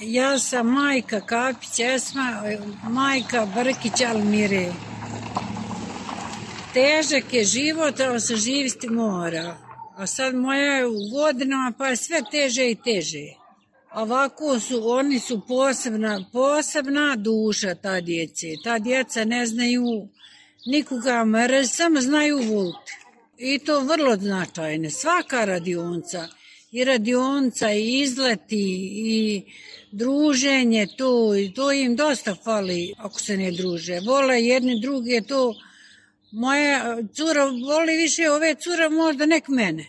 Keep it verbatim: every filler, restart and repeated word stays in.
Ja sam majka Kapić Esma, majka Brkić Almire. Težak je život, ali se živjeti mora. A sad moja je u godinama, pa je sve teže i teže. Ovako su, oni su posebna, posebna duša, ta djece. Ta djeca ne znaju nikoga mrz, samo znaju voliti. I to vrlo značajne. Svaka radionica, i radionica, i izleti, i druženje, to, to im dosta fali ako se ne druže. Vole jedni druge, to moja cura voli više ove cura možda nek mene.